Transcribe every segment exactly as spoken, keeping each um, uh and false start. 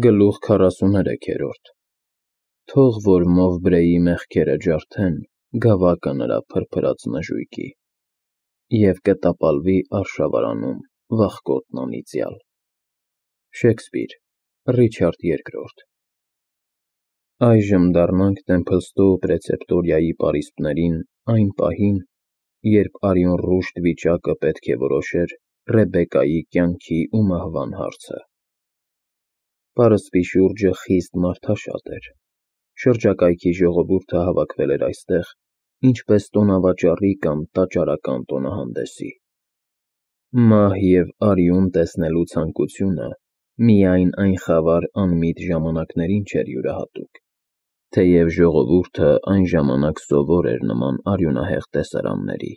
Գլուխ քառասուներեքերորդ Թող որ Մովբրեի մեղքերը ջարդեն գավակը նրա փրփրած նժույգի, և կտապալվի արշավարանում վախկոտն անիծյալ։ Շեքսպիր, Ռիչարդ Երկրորդ Այժմ դառնանք Տեմփլստոու պրեցեպտորիայի պարիսպներին այն պահին, երբ արյունռուշտ վիճակը պետք է որոշեր Ռեբեկայի կյանքի ու մահվան հարցը։ Պարսպի շուրջը խիստ մարդաշատ էր։ Շրջակայքի ժողովուրդը հավաքվել էր այստեղ, ինչպես տոնավաճառի կամ տաճարական տոնահանդեսի։ Մահ և արյուն տեսնելու ցանկությունը միայն այն խավար անմիտ ժամանակներին չէր յուրահատուկ, թեև ժողովուրդը այն ժամանակ սովոր էր նման արյունահեղ տեսարանների,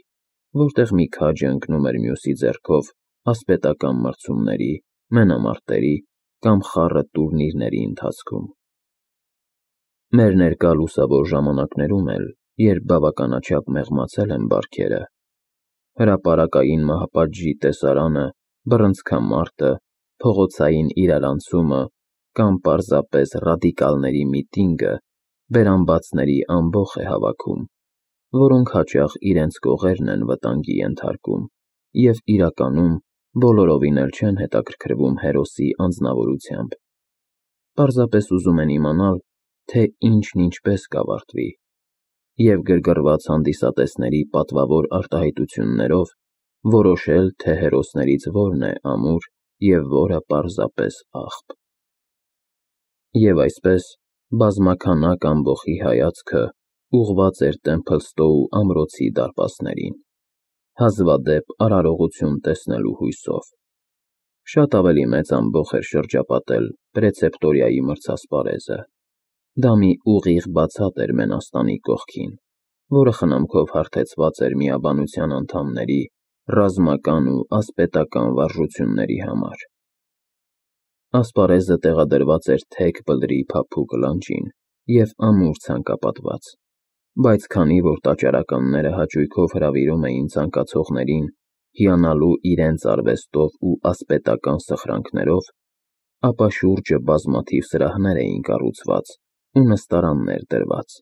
որտեղ մի քաջը ընկնում էր մյուսի ձեռքով ասպետական մրցումների, մենամարտերի կամ խառը տուրնիրների ընթացքում։ Մեր ներկա լուսավոր ժամանակներում էլ, երբ բավականաչափ մեղմացել են բարքերը, հրապարակային մահապատժի տեսարանը, բռնցքամարտը, փողոցային իրարանցումը կամ պարզապես ռադիկալների միտինգը բերանբացների ամբոխ է հավաքում, որոնք հաճախ իրենց կողերն են վտանգի ենթարկում և իրականում բոլորովին էլ չեն հետաքրքրվում հերոսի անձնավորությամբ, պարզապես ուզում են իմանալ, թե ինչն ինչպես կավարտվի, և գրգռված հանդիսատեսների պատվավոր արտահայտություններով որոշել, թե հերոսներից որն է ամուր և որը պարզապես աղբ։ Եվ այսպես, բազմաքանակ ամբոխի հայացքը ուղղված էր Տեմփլստոու ամրոցի դարպասներին, հազվադեպ արարողություն տեսնելու հույսով։ Շատ ավելի մեծ ամբոխ էր շրջապատել պրեցեպտորիայի մրցասպարեզը։ Դա մի ուղիղ բացատ էր մենաստանի կողքին, որը խնամքով հարթեցված էր միաբանության անդամների ռազմական ու ասպետական վարժությունների համար։ Ասպարեզը տեղադրված էր թեք բլրի փափուկ լանջին և ամուր ցանկապատված, բայց քանի որ տաճարականները հաճույքով հրավիրում էին ցանկացողներին հիանալու իրենց արվեստով ու ասպետական սխրանքներով, ապա շուրջը բազմաթիվ սրահներ էին կառուցված ու նստարաններ դրված։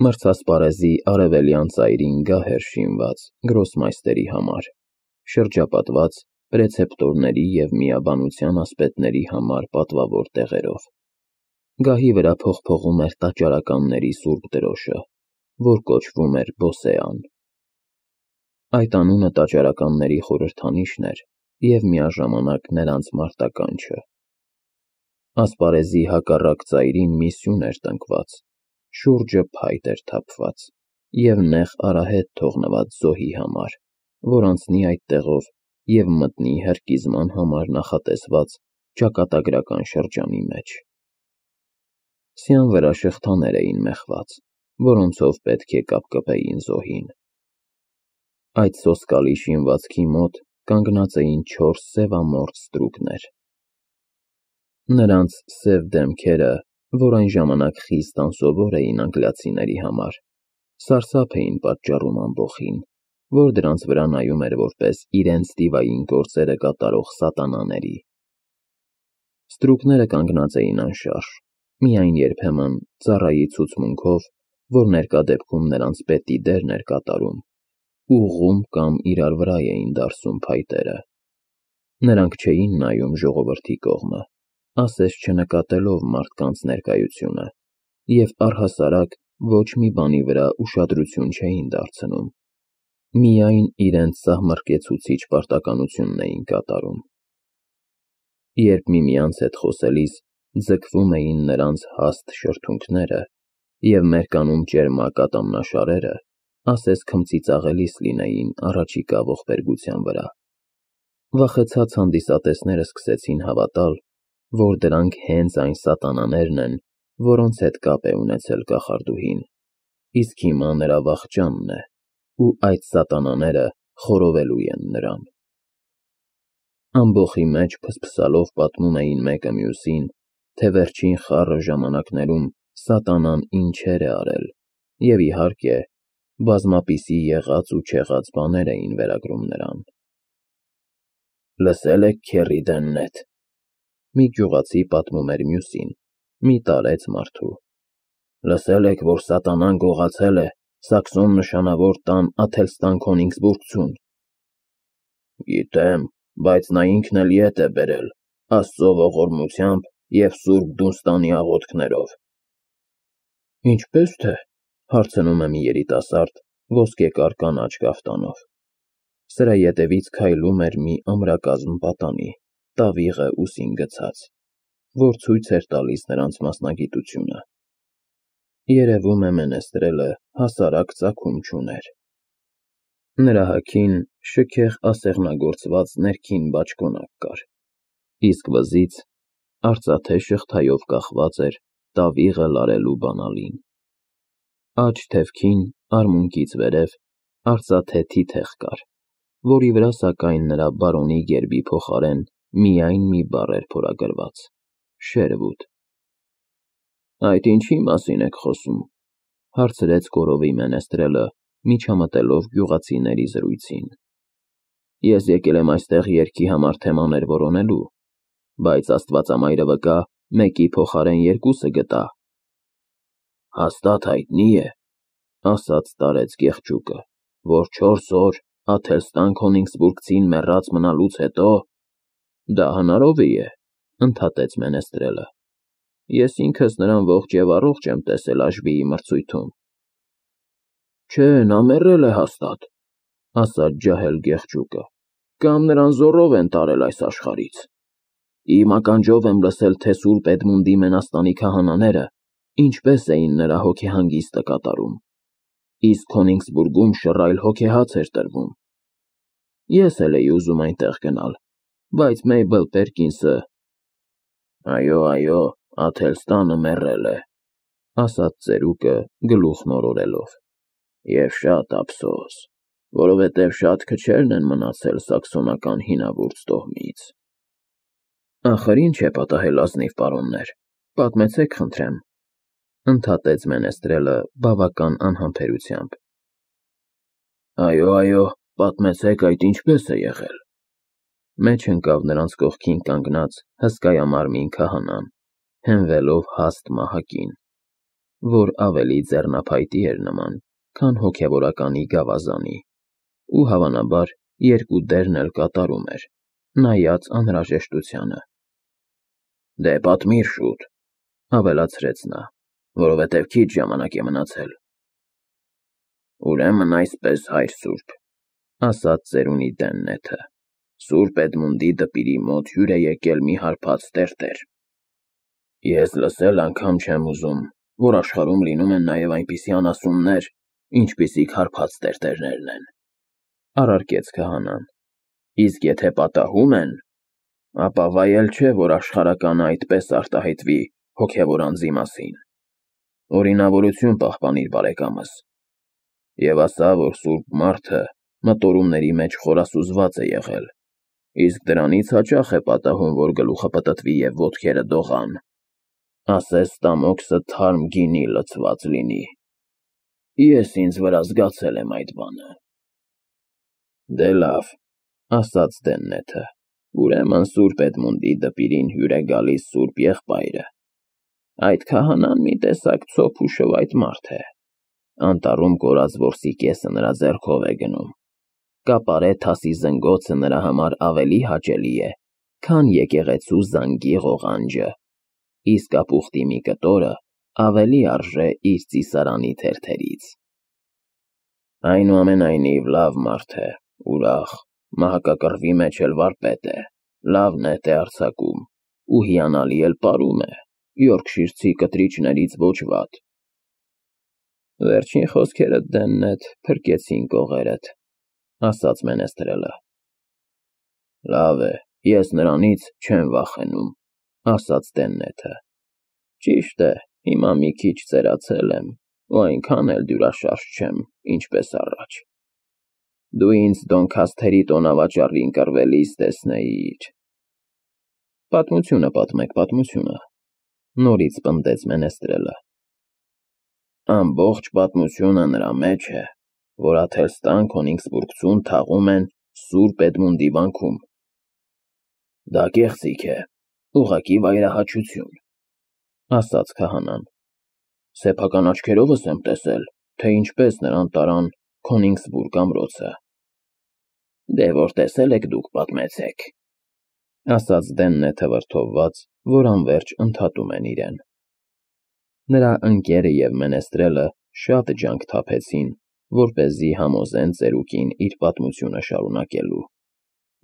Մրցասպարեզի արևելյան ծայրին գահ էր շինված գրոսմայստերի համար, շրջապատված պրեցեպտորների և միաբանության ասպետների համար պատվավոր տեղերով։ Գահի վրա փողփողում էր տաճարականների սուրբ դրոշը, որ կոչվում էր Բոսեան։ Այդ անունը տաճարականների խորհրդանիշն էր և միաժամանակ նրանց մարտականչը։ Ասպարեզի հակառակ ծայրին մի սյուն էր տնկված, շուրջը փայտ էր թափված և նեղ արահետ թողնված զոհի համար, որ անցնի այդտեղով և մտնի հրկիզման համար նախատեսված ճակատագրական շրջանի մեջ։ Սյան վրա շղթաներ էին մեխված, որոնցով պետք է կապկպեին զոհին։ Այդ սոսկալի շինվածքի մոտ կանգնած էին չորս սևամորթ ստրուկներ։ Նրանց սև դեմքերը, որ այն ժամանակ խիստ անսովոր էին անգլիացիների համար, սարսափ էին պատճառում ամբոխին, որ դրանց վրա նայում էր որպես իրենց դիվային գործերը կատարող սատանաների։ Ստրուկները կանգնած էին անշարժ, միայն երբեմն ծառայի ցուցմունքով, որ ներկա դեպքում նրանց պետի դերն էր կատարում, ուղղում կամ իրար վրա էին դարսում փայտերը։ Նրանք չէին նայում ժողովրդի կողմը, ասես չնկատելով մարդկանց ներկայությունը, և առհասարակ ոչ մի բանի վրա ուշադրություն չէին դարձնում, միայն իրենց սահմռկեցուցիչ պարտականությունն էին կատարում։ Երբ միմյանց հետ խոսելիս ձգվում էին նրանց հաստ շրթունքները և մերկանում ճերմակ ատամնաշարերը, ասես քմծիծաղելիս լինեին առաջիկա ողբերգության վրա։ Վախեցած հանդիսատեսները սկսեցին հավատալ, որ դրանք հենց այն սատանաներն են, որոնց հետ կապ է ունեցել կախարդուհին, իսկ հիմա նրա վախճանն է, ու այդ սատանաները խորովելու են նրան։ Ամբոխի մեջ փսփսալով պատմում էին մեկը մյուսին, թե վերջին խառը ժամանակներում սատանան ինչեր է արել, և, իհարկե, բազմապիսի եղած ու չեղած բաներ էին վերագրում նրան։ «Լսե՞լ եք, քեռի Դեննեթ, Մի գյուղացի պատմում էր մյուսին, մի տարեց մարդու. Լսել եք, որ սատանան գողացել է Սաքսոն նշանավոր տան Աթելստան Քոնիգսբուրգցուն։ Գիտեմ, բայց նա ինքն էլ ետ է բերել, Աստծո ողորմությամբ և Սուրբ Դունստանի աղոթքներով։ Ինչպես թե, հարցնում է մի երիտասարդ ոսկեկար կանաչ կաֆտանով։ Սրա ետևից քայլում էր մի ամրակազմ պատանի, տավիղը ուսին գցած, որ ցույց էր տալիս նրանց մասնագիտությունը։ Երևում է Մենեստրելը հասարակ ծագում չուներ։ Նրա հագին շքեղ ասեղնագործված ներքին բաճկոնակ կար, իսկ վզից արծաթե շղթայով կախված էր տավիղը լարելու բանալին։ Աջ թևքին, արմունկից վերև, արծաթե թիթեղ կար, որի վրա սակայն նրա բարոնի գերբի փոխարեն միայն մի բառ էր փորագրված՝ Շերվուդ։ Այդ ինչի մասին եք խոսում, հարցրեց գորովի Մենեստրելը, միջամտելով գյուղացիների զրույցին։ Ես եկել եմ այստեղ երգի համար թեմաներ որոնելու, բայց Աստվածամայրը վկա, մեկի փոխարեն երկուսը գտա։ Հաստատ հայտնի է, ասաց տարեց կեղճուկը, որ չորս օր Աթելստան Քոնիգսբուրգցին մեռած մնալուց հետո… Դա հնարով է, ընդհատեց Մենեստրելը։ Ես ինքս նրան ողջ և առողջ եմ տեսել Աշբիի մրցույթում։ Չէ, նա մեռել է հաստատ, ասաց ջահել գեղջուկը, կամ նրան զոռով են տարել այս աշխարհից։ Իմ ականջով եմ լսել, թե Սուրբ Էդմունդի մենաստանի քահանաները ինչպես էին նրա հոգեհանգիստը կատարում, իսկ Քոնիգսբուրգում շռայլ հոգեհաց էր տրվում։ Ես էլ էի ուզում այնտեղ գնալ, բայց Մեյբլ Պերկինսը… Այո, այո, Աթելստանը մեռել է, ասաց ծերուկը գլուխն օրորելով, և շատ ափսոս, որովհետև շատ քչերն են մնացել սաքսոնական հինավուրց տոհմից։ Ախր ինչ է պատահել, ազնիվ պարոններ, պատմեցեք խնդրեմ, ընդհատեց Մենեստրելը բավական անհամբերությամբ։ Այո, այո, պատմեցեք, այդ ինչպես է եղել։ Մեջ ընկավ նրանց կողքին կանգնած հսկայամարմին քահանան, հենվելով հաստ մահակին, որ ավելի ձեռնափայտի էր նման, քան հոգևորականի գավազանի, ու հավանաբար երկու դերն էլ կատարում էր, նայած անհրաժեշտությանը։ Դե պատմիր շուտ, ավելացրեց նա, որովհետև քիչ ժամանակ է մնացել։ Ուրեմն այսպես, հայր սուրբ, ասաց ծերունի Դեննեթը, Սուրբ Էդմունդի դպիրի մոտ հյուր է եկել մի հարբած տերտեր։ Ես լսել անգամ չեմ ուզում, որ աշխարհում լինում են նաև այնպիսի անասուններ, ինչպիսիք հարբած տերտերներն են, առարկեց քահանան, իսկ եթե պատահում են, ապա վայել չէ, որ աշխարհականը այդպես արտահայտվի հոգևոր անձի մասին։ Օրինավորություն պահպանիր, բարեկամս, և ասա, որ սուրբ մարդը մտորումների մեջ խորասուզված է եղել, իսկ դրանից հաճախ է պատահում, որ գլուխը պտտվի և ոտքերը դողան, ասես ստամոքսը թարմ գինի լցված լինի։ Ես ինձ վրա զգացել եմ այդ բանը։ Դե լավ, ասաց Դեննեթը, ուրեմն Սուրբ Էդմունդի դպիրին հյուր է գալիս սուրբ եղբայրը։ Այդ քահանան մի տեսակ ցոփ ու շվայտ մարդ է, անտառում կորած որսի կեսը նրա ձեռքով է գնում։ Կապարե թասի զնգոցը նրա համար ավելի հաճելի է, քան եկեղեցու զանգի ղողանջը, իսկ ապուխտի մի կտորը ավելի արժե իր ծիսարանի թերթերից։ Այնուամենայնիվ լավ մարդ է, ուրախ, մահակակռվի մեջ էլ վարպետ է, լավ նետ է արձակում ու հիանալի էլ պարում է, Յորքշիրցի կտրիչներից ոչ վատ։ Վերջին խոսքերդ, Դեննեթ, փրկեցին կողերդ, ասաց Մենեստրելը։ Լավ է, ես նրանից չեմ վախենում, ասաց Դեննեթը։ Ճիշտ է, հիմա մի քիչ ծերացել եմ, ու այնքան էլ դյուրաշարժ չեմ, ինչպես առաջ։ Դու ինձ Դոնքասթերի տոնավաճառին կռվելիս տեսնեիր։ Պատմությունը պատմեք, պատմությունը, նորից պնդեց Մենեստրելը։ Ամբողջ պատմությունը նրա մեջ է, որ Աթելստան Քոնիգսբուրգցուն թաղում են Սուրբ Էդմունդի վանքում։ Դա կեղծիք է, Ուղղակի վայրահաչություն, ասաց քահանան։ Սեփական աչքերովս եմ տեսել, թե ինչպես նրան տարան Քոնիգսբուրգ ամրոցը։ Դե որ տեսել եք, դուք պատմեցեք, ասաց Դեննը թվրթովված, որ անվերջ ընդհատում են իրեն։ Նրա ընկերը և Մենեստրելը շատ ջանք թափեցին, որպեսզի համոզեն ծերուկին իր պատմությունը շարունակելու։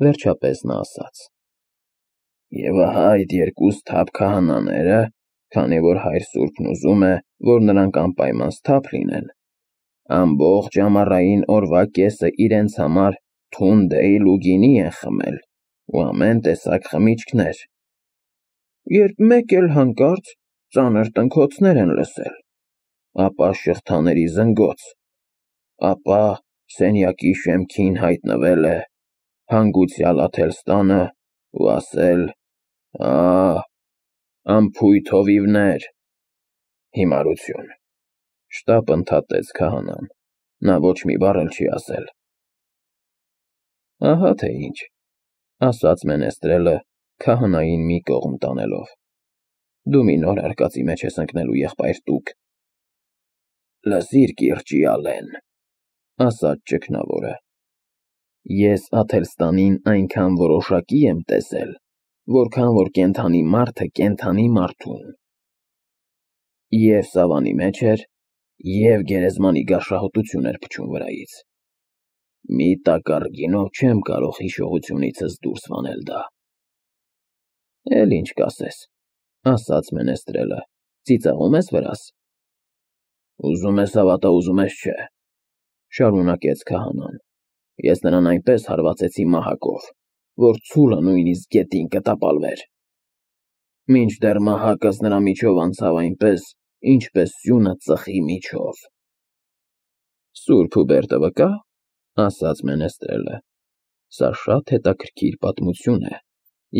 Վերջապես նա ասաց. Եվ ահա այդ երկու սթափ քահանաները, քանի որ հայր սուրբն ուզում է, որ նրանք անպայման սթափ լինեն, ամբողջ ամառային օրվա կեսը իրենց համար թունդեյլ ու գինի են խմել ու ամեն տեսակ խմիչքներ, երբ մեկ էլ հանկարծ ծանր տնքոցներ են լսել, ապա շղթաների զնգոց, ապա սենյակի շեմքին հայտնվել է հանգուցյալ Աթելստանը ու ասել. «Ա՜, անփույթ հովիվներ»։ Հիմարություն, շտապ ընդհատեց քահանան, նա ոչ մի բառ էլ չի ասել։ Ահա թե ինչ, ասաց Մենեստրելը քահանային մի կողմ տանելով։ Դու մի նոր արկածի մեջ ես ընկնելու, եղբայր Տուկ։ Լսիր, կիրճի Ալեն, ասաց ճգնավորը, ես Աթելստանին այնքան որոշակի եմ տեսել, որքան որ կենդանի մարդը կենդանի մարդուն։ Եվ սավանի մեջ էր, և գերեզմանի գարշահոտություն էր փչում վրայից։ Մի տակառ գինով չեմ կարող հիշողությունիցս դուրս վանել դա։ Էլ ինչ կասես, ասաց Մենեստրելը, ծիծաղում ես վրաս։ Ուզում ես հավատա, ուզում ես չէ, շարունակեց քահանան, ես նրան այնպես հարվածեցի մահակով, որ ցուլը նույնիսկ գետին կտապալվեր։ Մինչդեռ մահակս նրա միջով անցավ այնպես, ինչպես սյունը ծխի միջով։ Սուրբ Հուբերտը վկա, ասաց Մենեստրելը, սա շատ հետաքրքիր պատմություն է,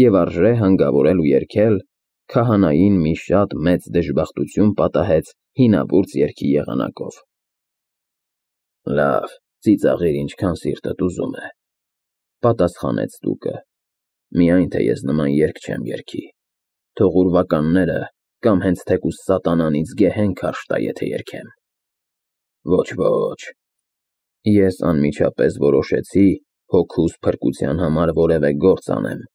և արժե հանգավորել ու երգել, քահանային մի շատ մեծ դժբախտություն պատահեց հինավուրց երգի եղանակով։ Լավ, ծիծաղիր ինչքան սիրտդ ուզում է, պատասխանեց Տուկը, միայն թե ես նման երգ չեմ երգի, թող ուրվականները կամ հենց թեկուզ սատանան ինձ գեհեն քարշ տա, եթե երգեմ։ Ոչ, ոչ, ես անմիջապես որոշեցի հոգուս փրկության համար որևէ գործ անեմ,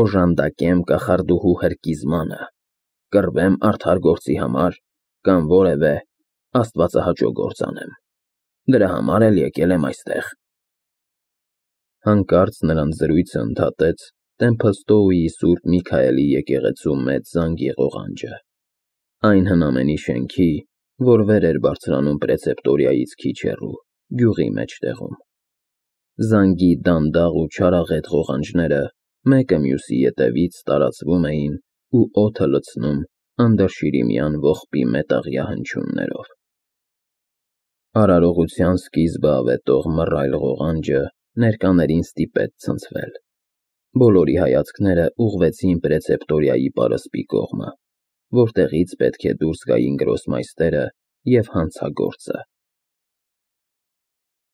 օժանդակեմ կախարդուհու հրկիզմանը, կռվեմ արդար գործի համար կամ որևէ աստվածահաճո գործ անեմ։ Դրա համար էլ եկել եմ այստեղ։ Հանկարծ նրանց զրույցը ընդհատեց Տեմփլստոուի Սուրբ Միքայելի եկեղեցու մեծ զանգի ղողանջը, այն հնամենի շենքի, որ վեր էր բարձրանում պրեցեպտորիայից քիչ հեռու, գյուղի մեջտեղում։ Զանգի դանդաղ ու չարաղետ ղողանջները մեկը մյուսի ետևից տարածվում էին ու օդը լցնում անդրշիրիմյան ողբի մետաղյա հնչյուններով։ Արարողության սկիզբը ավետող մռայլ ղողանջը ներկաներին ստիպեց ցնցվել։ Բոլորի հայացքները ուղղվեցին պրեցեպտորիայի պարսպի կողմը, որտեղից պետք է դուրս գային գրոսմայստերը և հանցագործը։